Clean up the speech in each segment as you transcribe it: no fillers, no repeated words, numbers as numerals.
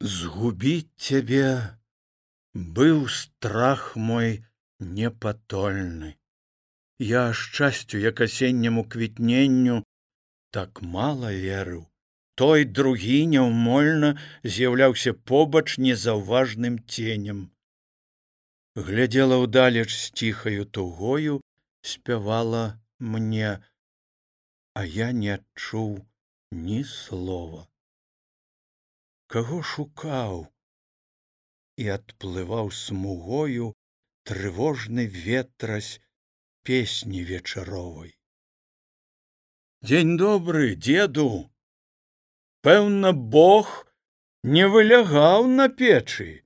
Згубіць цябе быў страх мой непатольны. Я шчасцю, як асенняму квітненню, так мала верыў. Той другі няўмольна з'яўляўся побач незаўважным ценем. Глядзела ўдалеч з ціхаю тугою, спявала мне, а я не адчуў ні слова. Каго шукаў, і адплываў смугою трывожны ветразь песні вечаровай. Дзень добры, дзеду. Пэўна, Бог не вылягаў на печы.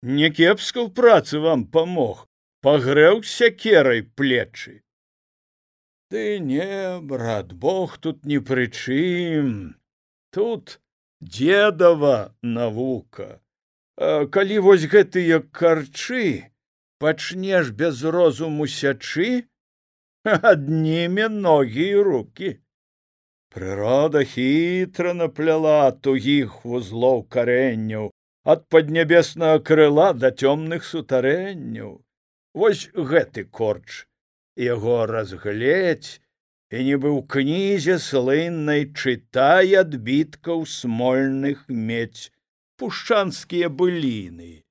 Не кепска ў працы вам памог, пагрэў сякерай плечы. Ды не, брат, Бог тут ні пры чым. Тут дзедава навука. Калі вось гэтыя карчы пачнеш без розуму сячы, адніме ногі і рукі. Прырода хітра напляла тугіх вузлоў карэнняў ад паднябеснага крыла да цёмных сутарэнняў. Вось гэты корч, яго разгледзь, і нібы ў кнізе слыннай чытай адбіткаў смольных медзь пушчанскія быліны,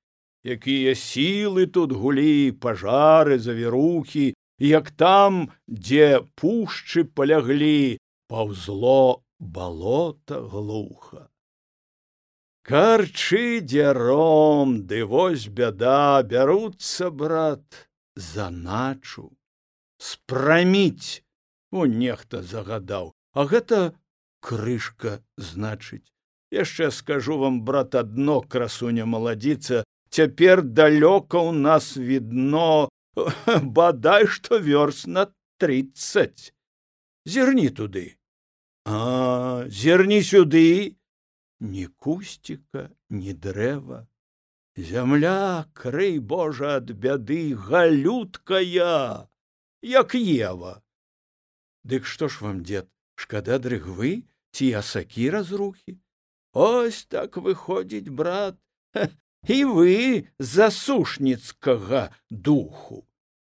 якія сілы тут гулі, пажары, завірухі, як там, дзе пушчы паляглі, паўзло балота глуха. Карчы дзяром, ды вось бяда, бяруцца, брат, за начу. Спраміць, нехта загадаў, а гэта крышка, значыць. Яшчэ скажу вам, брат, адно, красуня маладзіца, цяпер далёка ў нас відно, бадай што вёрст на 30. Зірні туды. Зірні сюды. Ні кусціка, ні дрэва. Зямля, крый Божа ад бяды, галюткая, як Ева. Дык што ж вам, дзед, шкада дрыгвы ці асакі разрухі? Ось так выходзіць, брат, і вы засушніцкага духу.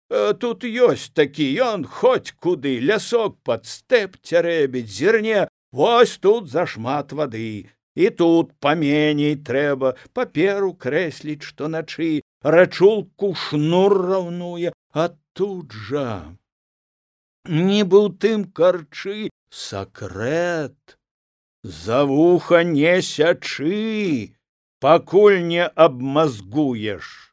Тут ёсць такі, ён хоць куды, лясок пад стэп цярэбіць, зірне, вось тут зашмат вады, і тут паменей трэба, паперу крэсліць штоначы, рачулку шнур раўнуе, а тут жа, нібы ў тым карчы сакрэт. За вуха не сячы, пакуль не абмазгуеш.